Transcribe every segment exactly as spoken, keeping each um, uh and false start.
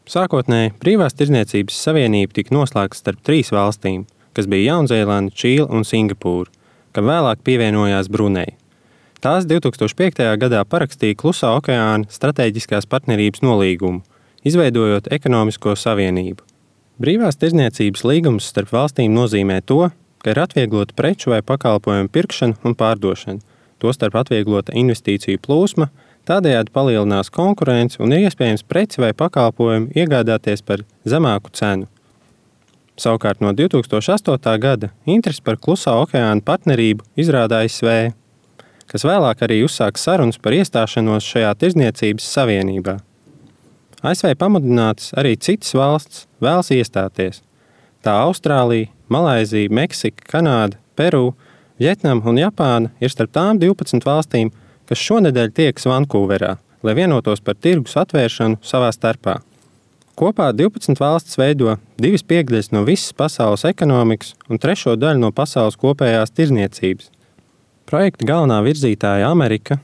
Sākotnēji Brīvās tirdzniecības savienība tika noslēgta starp trīs valstīm, kas bija Jaunzēlande, Čīle un Singapūra, kam vēlāk pievienojās Bruneja. Tās divi tūkstoši piektajā gadā parakstīja Klusā okeāna stratēģiskās partnerības nolīgumu, izveidojot ekonomisko savienību. Brīvās tirdzniecības līgums starp valstīm nozīmē to, ka ir atvieglota preču vai pakalpojumu pirkšana un pārdošana, tostarp atvieglota investīciju plūsma, tādējādi palielinās konkurence un ir iespējams preci vai pakalpojumu iegādāties par zemāku cenu. Savukārt no divi tūkstoši astotā gada interesi par Klusā okeāna partnerību izrāda A S V, kas vēlāk arī uzsāka sarunas par iestāšanos šajā tirdzniecības savienībā. A S V pamudinātas arī citas valsts vēlas iestāties. Tā Austrālija, Malaizija, Meksika, Kanāda, Peru, Vjetnama un Japāna ir starp tām divpadsmit valstīm, kas šonedēļ tiekas Vankūverā, lai vienotos par tirgus atvēršanu savā starpā. Kopā divpadsmit valstis veido divas piekdaļas no visas pasaules ekonomikas un trešo daļu no pasaules kopējās tirdzniecības. Projekta galvenā virzītāja Amerika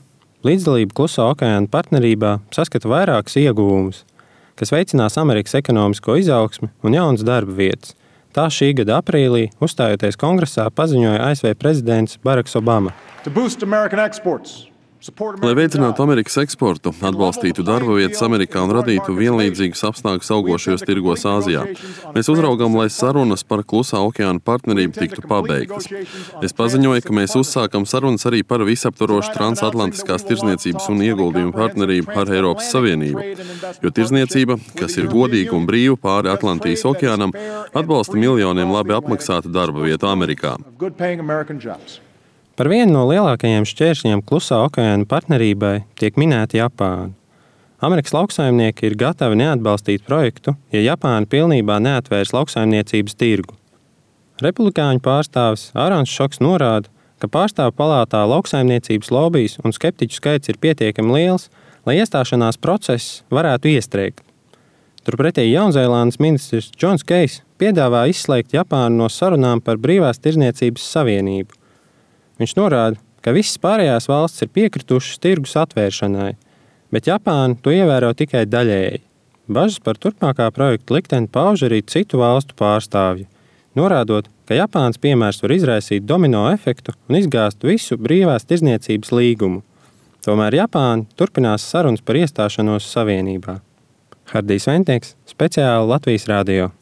līdzdalība Klusā okeāna partnerībā saskata vairākus ieguvumus, kas veicinās Amerikas ekonomisko izaugsmi un jaunas darba vietas. Tā šī gada aprīlī, uzstājoties kongresā, paziņoja A S V prezidents Baraks Obama. Lai veicinātu Amerikas eksportu, atbalstītu darba vietas Amerikā un radītu vienlīdzīgus apstākļus augošajos tirgos Āzijā, mēs uzraugām, lai sarunas par Klusā okeāna partnerību tiktu pabeigtas. Es paziņoju, ka mēs uzsākam sarunas arī par visaptvarošu transatlantiskās tirdzniecības un ieguldījumu partnerību ar Eiropas Savienību, jo tirdzniecība, kas ir godīga un brīva pāri Atlantijas okeānam, atbalsta miljoniem labi apmaksātu darba vietu Amerikā. Par vienu no lielākajiem šķēršļiem Klusā okeāna partnerībai tiek minēta Japāna. Amerikas lauksaimnieki ir gatavi neatbalstīt projektu, ja Japāna pilnībā neatvērs lauksaimniecības tirgu. Republikāņu pārstāvis Ārons Šoks norāda, ka pārstāvu palātā lauksaimniecības lobijs un skeptiķu skaits ir pietiekami liels, lai iestāšanās process varētu iestrēgt. Turpretī Jaunzēlandes ministrs Džons Keijs piedāvā izslēgt Japānu no sarunām par Brīvās tirdzniecības savienību. Viņš norāda, ka visas pārējās valstis ir piekritušas tirgus atvēršanai, bet Japāna to ievēro tikai daļēji. Bažas par turpmākā projekta likteni pauž arī citu valstu pārstāvji, norādot, ka Japānas piemērs var izraisīt domino efektu un izgāzt visu Brīvās tirdzniecības līgumu. Tomēr Japāna turpinās sarunas par iestāšanos savienībā. Hardijs Ventnieks, speciāli Latvijas radio.